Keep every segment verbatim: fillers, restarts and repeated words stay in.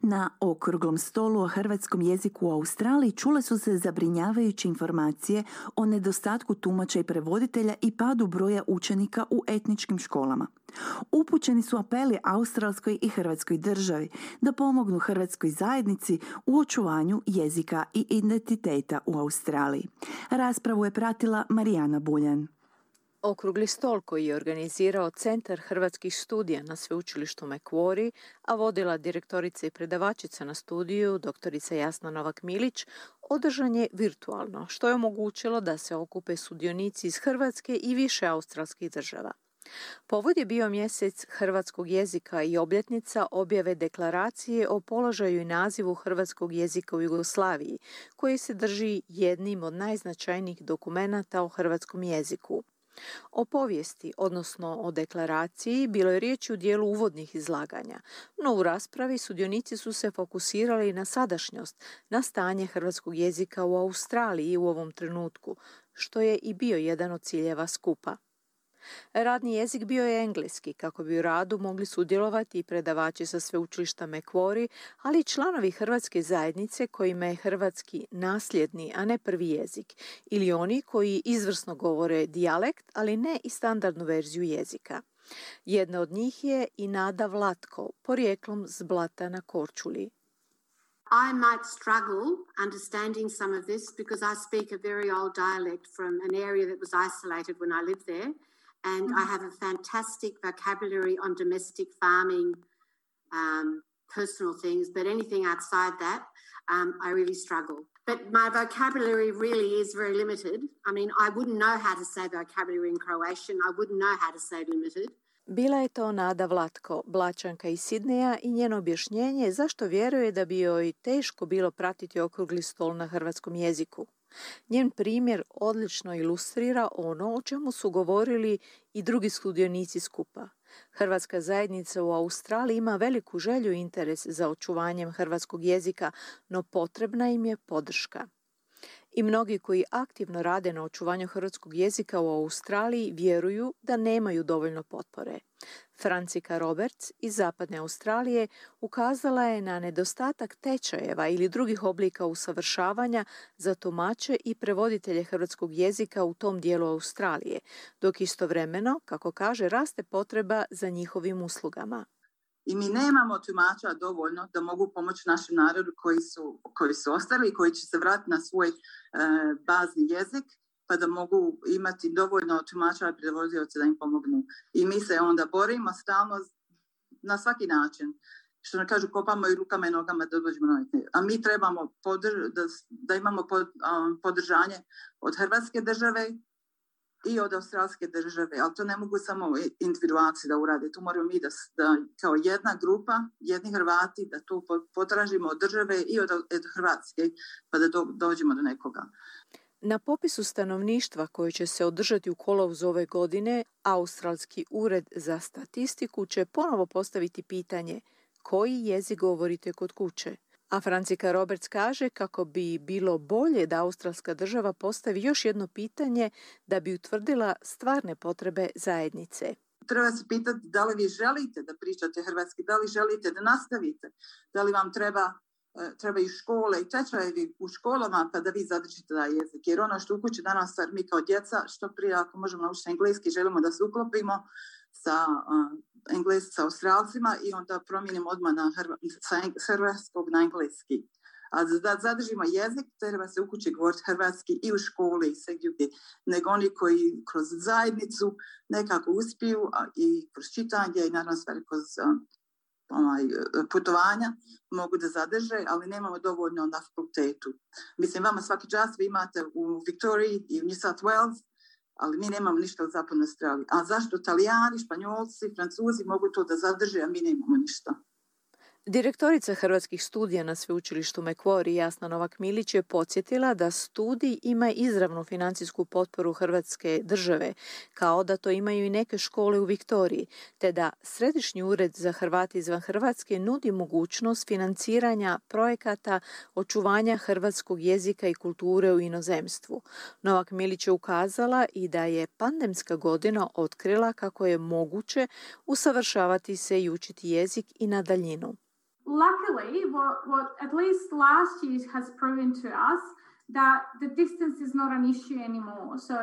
Na okruglom stolu o hrvatskom jeziku u Australiji čule su se zabrinjavajuće informacije o nedostatku tumača i prevoditelja i padu broja učenika u etničkim školama. Upućeni su apeli australskoj i hrvatskoj državi da pomognu hrvatskoj zajednici u očuvanju jezika i identiteta u Australiji. Raspravu je pratila Marijana Buljan. Okrugli stol koji je organizirao Centar hrvatskih studija na sveučilištu Macquarie, a vodila direktorica i predavačica na studiju, doktorica Jasna Novak-Milić, održan je virtualno, što je omogućilo da se okupe sudionici iz Hrvatske i više australskih država. Povod je bio mjesec hrvatskog jezika i obljetnica objave deklaracije o položaju i nazivu hrvatskog jezika u Jugoslaviji, koji se drži jednim od najznačajnijih dokumenata o hrvatskom jeziku. O povijesti, odnosno o deklaraciji, bilo je riječi u dijelu uvodnih izlaganja, no u raspravi sudionici su se fokusirali na sadašnjost, na stanje hrvatskog jezika u Australiji u ovom trenutku, što je i bio jedan od ciljeva skupa. Radni jezik bio je engleski, kako bi u radu mogli sudjelovati i predavači sa sveučilišta Macquarie, ali i članovi hrvatske zajednice kojima je hrvatski nasljedni, a ne prvi jezik, ili oni koji izvrsno govore dijalekt, ali ne i standardnu verziju jezika. Jedna od njih je i Nada Vlatko, porijeklom s Blata na Korčuli. I might struggle understanding some of this because I speak a very old dialect from an area that was isolated when I lived there. And I have a fantastic vocabulary on domestic farming, um, personal things, but anything outside that, um, I really struggle. But my vocabulary really is very limited. I mean, I wouldn't know how to say vocabulary in Croatian. I wouldn't know how to say limited. Bila je to Nada Vlatko, Blačanka iz Sidneja, i njeno objašnjenje zašto vjeruje da bi joj teško bilo pratiti okrugli stol na hrvatskom jeziku. Njen primjer odlično ilustrira ono o čemu su govorili i drugi sudionici skupa. Hrvatska zajednica u Australiji ima veliku želju i interes za očuvanjem hrvatskog jezika, no potrebna im je podrška. I mnogi koji aktivno rade na očuvanju hrvatskog jezika u Australiji vjeruju da nemaju dovoljno potpore. Francika Roberts iz Zapadne Australije ukazala je na nedostatak tečajeva ili drugih oblika usavršavanja za tumače i prevoditelje hrvatskog jezika u tom dijelu Australije, dok istovremeno, kako kaže, raste potreba za njihovim uslugama. I mi nemamo tumača dovoljno da mogu pomoći našem narodu koji su, koji su ostali i koji će se vratiti na svoj e, bazni jezik, pa da mogu imati dovoljno tumača i prevodioca da im pomognu. I mi se onda borimo stalno na svaki način. Što ne kažu, kopamo i rukama i nogama da dođemo na njih. A mi trebamo podrž, da, da imamo pod, um, podržanje od Hrvatske države i od australske države, ali to ne mogu samo individualci da urade. Tu moramo mi da, da kao jedna grupa, jedni Hrvati, da to potražimo od države i od, od Hrvatske, pa da do, dođemo do nekoga. Na popisu stanovništva koji će se održati u kolovozu ove godine, Australski ured za statistiku će ponovo postaviti pitanje koji jezik govorite kod kuće. A Francika Roberts kaže kako bi bilo bolje da australska država postavi još jedno pitanje da bi utvrdila stvarne potrebe zajednice. Treba se pitati da li vi želite da pričate hrvatski, da li želite da nastavite, da li vam treba, treba i škole i tečajevi u školama pa da vi zadržite taj jezik. Jer ono što u kući danas mi kao djeca, što prije ako možemo naučiti engleski, želimo da se uklopimo sa uh, englesi sa Australcima i onda promijenimo odmah na hrva, sa hrvatskog na engleski. A da zadržimo jezik, treba se u kući govoriti hrvatski i u školi i sve gdje, nego oni koji kroz zajednicu nekako uspiju a, i kroz čitanje i naravno stvari kroz um, ovaj, putovanja mogu da zadrže, ali nemamo dovoljno na fakultetu. Mislim, vama svaki čas vi imate u Victoriji i u New South Wales, ali mi nemamo ništa u Zapadnoj Australiji. A zašto Italijani, Španjolci, Francuzi mogu to da zadrže, a mi nemamo ništa? Direktorica hrvatskih studija na sveučilištu Macquarie Jasna Novak-Milić je podsjetila da studij ima izravnu financijsku potporu Hrvatske države, kao da to imaju i neke škole u Viktoriji, te da Središnji ured za Hrvate izvan Hrvatske nudi mogućnost financiranja projekata očuvanja hrvatskog jezika i kulture u inozemstvu. Novak-Milić je ukazala i da je pandemska godina otkrila kako je moguće usavršavati se i učiti jezik i na daljinu. luckily, what, what at least last year has proven to us that the distance is not an issue anymore. So,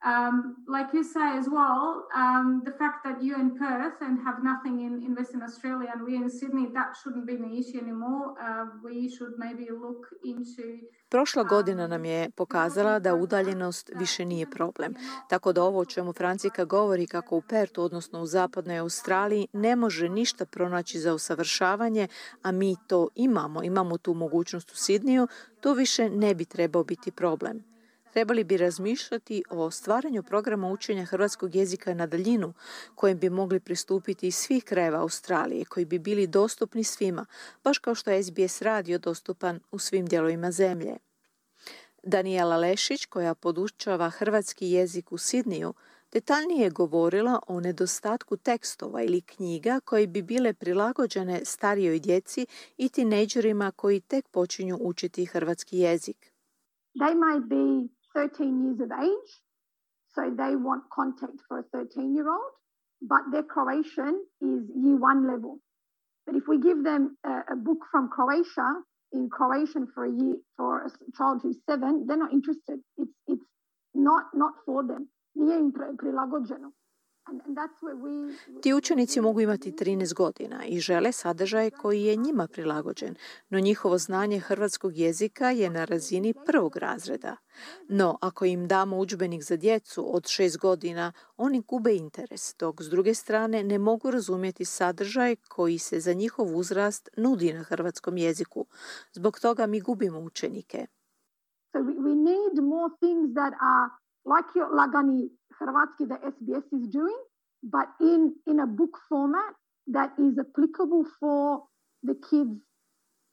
um, like you say as well, um, the fact that you're in Perth and have nothing in, in Western Australia and we're in Sydney, that shouldn't be an issue anymore. Uh, we should maybe look into... Prošla godina nam je pokazala da udaljenost više nije problem. Tako da ovo o čemu Francika govori kako u Pertu, odnosno u zapadnoj Australiji, ne može ništa pronaći za usavršavanje, a mi to imamo, imamo tu mogućnost u Sidniju, to više ne bi trebao biti problem. Trebali bi razmišljati o stvaranju programa učenja hrvatskog jezika na daljinu, kojem bi mogli pristupiti iz svih krajeva Australije, koji bi bili dostupni svima, baš kao što je S B S radio dostupan u svim dijelovima zemlje. Danijela Lešić, koja podučava hrvatski jezik u Sidniju, detaljnije je govorila o nedostatku tekstova ili knjiga koje bi bile prilagođene starijoj djeci i tinejdžerima koji tek počinju učiti hrvatski jezik. They might be thirteen years of age, so they want contact for a thirteen-year-old, but their Croatian is year one level. But if we give them a, a book from Croatia in Croatian for a year for a child who's seven, they're not interested. It's it's not not for them. Nije im prilagođeno. Ti učenici mogu imati trinaest godina i žele sadržaj koji je njima prilagođen, no njihovo znanje hrvatskog jezika je na razini prvog razreda. No, ako im damo udžbenik za djecu od šest godina, oni gube interes, dok s druge strane ne mogu razumjeti sadržaj koji se za njihov uzrast nudi na hrvatskom jeziku. Zbog toga mi gubimo učenike. So we, we need more things that are like your lagani Hrvatski that S B S is doing, but in, in a book format that is applicable for the kids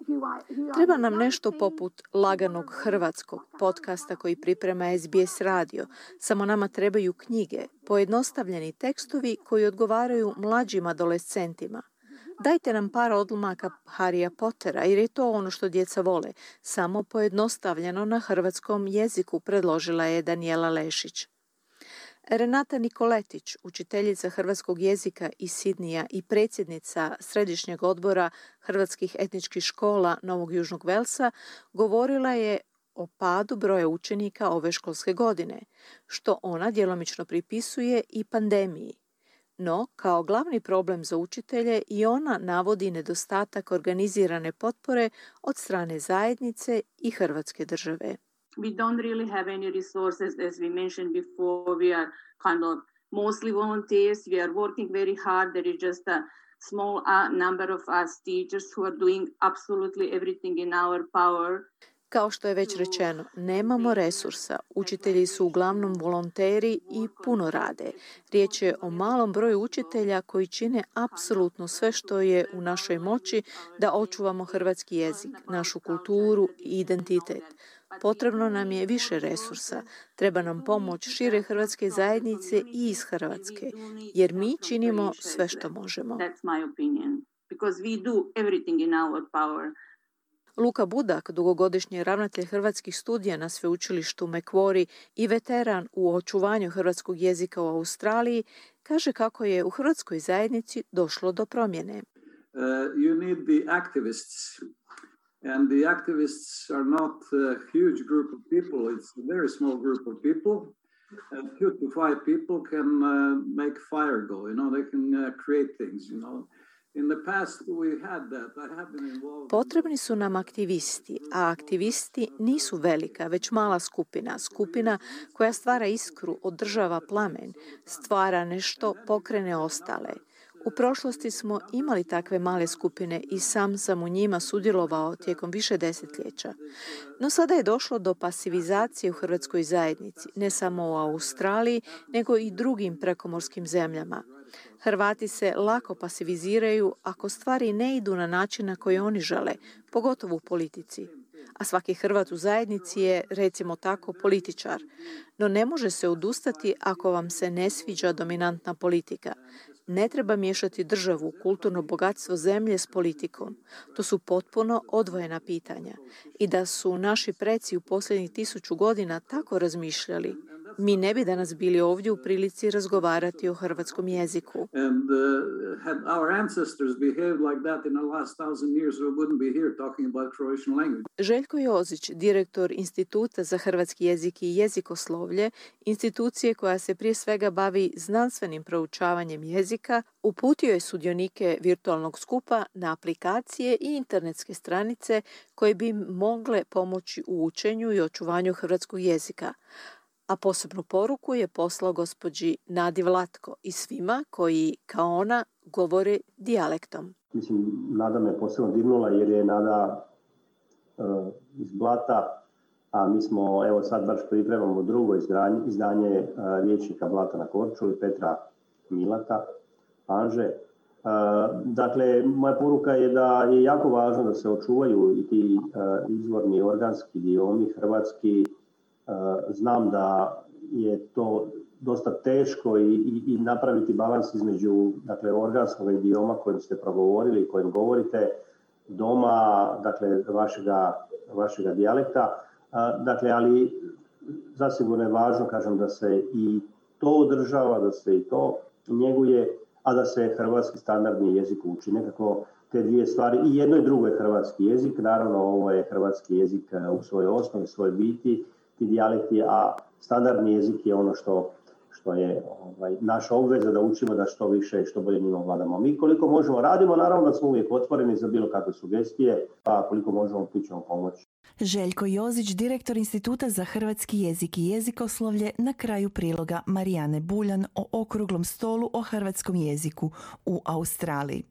who are... Who are Treba nam nešto poput laganog hrvatskog podcasta koji priprema S B S radio. Samo nama trebaju knjige, pojednostavljeni tekstovi koji odgovaraju mlađim adolescentima. Dajte nam par odlomaka Harrya Pottera, jer je to ono što djeca vole. Samo pojednostavljeno na hrvatskom jeziku, predložila je Danijela Lešić. Renata Nikoletić, učiteljica hrvatskog jezika iz Sidnija i predsjednica Središnjeg odbora hrvatskih etničkih škola Novog Južnog Velsa, govorila je o padu broja učenika ove školske godine, što ona djelomično pripisuje i pandemiji. No, kao glavni problem za učitelje i ona navodi nedostatak organizirane potpore od strane zajednice i Hrvatske države. We don't really have any resources, as we mentioned before. We are kind of mostly volunteers. We are working very hard. There is just a small uh, number of us teachers who are doing absolutely everything in our power. Kao što je već rečeno, nemamo resursa. Učitelji su uglavnom volonteri i puno rade. Riječ je o malom broju učitelja koji čine apsolutno sve što je u našoj moći da očuvamo hrvatski jezik, našu kulturu i identitet. Potrebno nam je više resursa. Treba nam pomoć šire hrvatske zajednice i iz Hrvatske, jer mi činimo sve što možemo. Luka Budak, dugogodišnji ravnatelj hrvatskih studija na sveučilištu Macquarie i veteran u očuvanju hrvatskog jezika u Australiji, kaže kako je u hrvatskoj zajednici došlo do promjene. Uh, you need the activists. And the activists are not a huge group of people. It's a very small group of people. And two to five people can uh, make fire go. You know, they can uh, create things, you know. In the past we had that. I have been involved. Potrebni su nam aktivisti, a aktivisti nisu velika, već mala skupina. Skupina koja stvara iskru, održava plamen, stvara nešto, pokrene ostale. U prošlosti smo imali takve male skupine i sam sam u njima sudjelovao tijekom više desetljeća. No sada je došlo do pasivizacije u hrvatskoj zajednici, ne samo u Australiji, nego i drugim prekomorskim zemljama. Hrvati se lako pasiviziraju ako stvari ne idu na način na koji oni žele, pogotovo u politici. A svaki Hrvat u zajednici je, recimo tako, političar. No ne može se odustati ako vam se ne sviđa dominantna politika. Ne treba miješati državu, kulturno bogatstvo zemlje s politikom. To su potpuno odvojena pitanja. I da su naši preci u posljednjih tisuću godina tako razmišljali, mi ne bi danas bili ovdje u prilici razgovarati o hrvatskom jeziku. And uh, had our ancestors behaved like that in the last thousand years, we wouldn't be here talking about Croatian language. Željko Jozić, direktor Instituta za hrvatski jezik i jezikoslovlje, institucije koja se prije svega bavi znanstvenim proučavanjem jezika, uputio je sudionike virtualnog skupa na aplikacije i internetske stranice koje bi mogle pomoći u učenju i očuvanju hrvatskog jezika. A posebnu poruku je poslao gospođi Nadi Vlatko i svima koji, kao ona, govore dijalektom. Mislim, Nada me posebno dirnula jer je Nada uh, iz Blata, a mi smo, evo sad baš pripremamo drugo izdanje, izdanje uh, riječnika Blata na Korčuli, Petra Milata, Anže. Uh, dakle, moja poruka je da je jako važno da se očuvaju i ti uh, izvorni organski idiomi hrvatski. Uh, znam da je to dosta teško i, i, i napraviti balans između, dakle, organskog idioma kojim ste progovorili, kojim govorite doma, dakle, vašega, vašega dijalekta. Uh, dakle, ali zasigurno je važno, kažem, da se i to održava, da se i to njeguje, a da se hrvatski standardni jezik uči. Nekako te dvije stvari, i jedno i drugo je hrvatski jezik, naravno ovo je hrvatski jezik u svojoj osnovi, svojoj biti, ti dijalekti, a standardni jezik je ono što, što je ovaj, naša obveza da učimo da što više i što bolje njima vladamo. Mi koliko možemo radimo, naravno da smo uvijek otvoreni za bilo kakve sugestije, pa koliko možemo pićemo pomoći. Željko Jozić, direktor Instituta za hrvatski jezik i jezikoslovlje, na kraju priloga Marijane Buljan o okruglom stolu o hrvatskom jeziku u Australiji.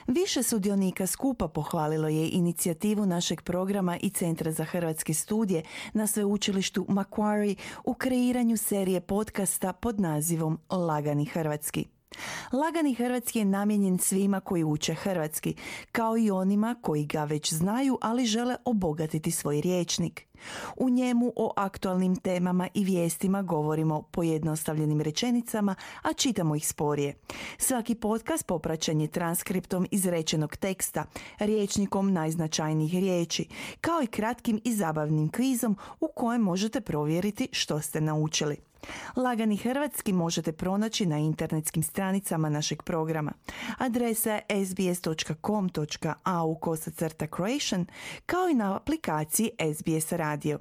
Više sudionika skupa pohvalilo je inicijativu našeg programa i Centra za hrvatske studije na sveučilištu Macquarie u kreiranju serije podcasta pod nazivom Lagani hrvatski. Lagani hrvatski je namijenjen svima koji uče hrvatski, kao i onima koji ga već znaju, ali žele obogatiti svoj rječnik. U njemu o aktualnim temama i vijestima govorimo pojednostavljenim rečenicama, a čitamo ih sporije. Svaki podcast popraćen je transkriptom izrečenog teksta, rječnikom najznačajnijih riječi, kao i kratkim i zabavnim kvizom u kojem možete provjeriti što ste naučili. Lagani hrvatski možete pronaći na internetskim stranicama našeg programa. Adresa je sbs.com.au kosacrta Croatian, kao i na aplikaciji S B S Radio.